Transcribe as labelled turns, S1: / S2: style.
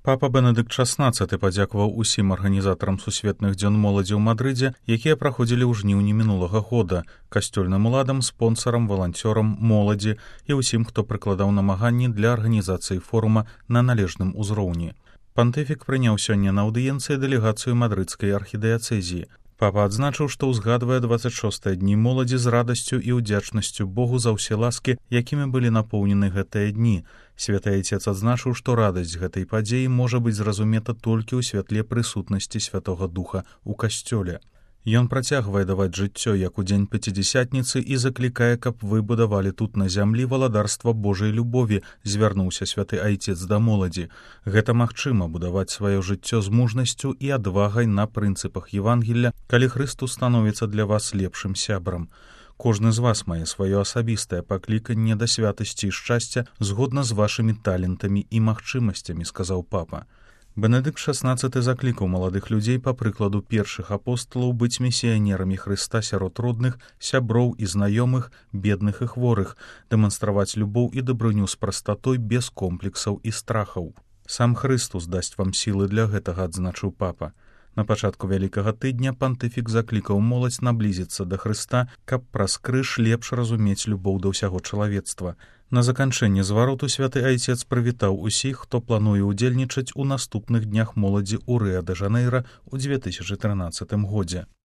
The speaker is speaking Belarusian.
S1: Папа Бенедыкт XVI падзякаваў усім арганізатарам сусветных дзён моладзі ў Мадрыдзе, якія праходзілі ў жніўні мінулага года, касцёльным уладам, спонсарам, валанцёрам, моладзі і ўсім, хто прыкладаў намаганні для арганізацыі форума на належным узроўні. Пантыфік прыняў сёння на аўдыенцыі дэлегацыю мадрыдскай архідыяцэзіі. Папа адзначыў, што ўзгадвае 26 дні моладзі з радасцю і ўдзячнасцю Богу за ўсе ласкі, якімі былі напоўнены гэтыя дні. Святы Айцец адзначыў, што радасць гэтай падзеі можа быць зразумета толькі ў святле прысутнасці Святога Духа ў касцёле. Ён працягвае даваць жыццё, як у дзень Пяцідзясятніцы, і заклікае, каб вы будавалі тут на зямлі валадарства Божай любові, звярнуўся святы Айцец да моладзі. Гэта магчыма будаваць сваё жыццё з мужнасцю і адвагай на прынцыпах Евангелля, калі Хрыстус становіцца для вас лепшым сябрам. Кожны з вас мае сваё асабістае пакліканне да святасці і шчасця згодна з вашымі талентамі і магчымасцямі, сказаў папа. Бенедыкт XVI заклікаў маладых людзей па прыкладу першых апосталаў быць місіянерамі Хрыста сярод родных, сяброў і знаёмых, бедных і хворых, дэманстраваць любоў і дабрыню з прастатой без комплексаў і страхаў. Сам Хрыстус дасць вам сілы для гэтага, адзначыў папа. На пачатку Вялікага тыдня пантыфік заклікаў моладзь наблізіцца да Хрыста, каб праз крыж лепш разумець любоў да ўсяго чалавецтва. На заканчэнне звароту святы Айцец прывітаў усіх, хто плануе ўдзельнічаць у наступных днях моладзі ў Рыа-дэ-Жанэйра ў 2013 годзе.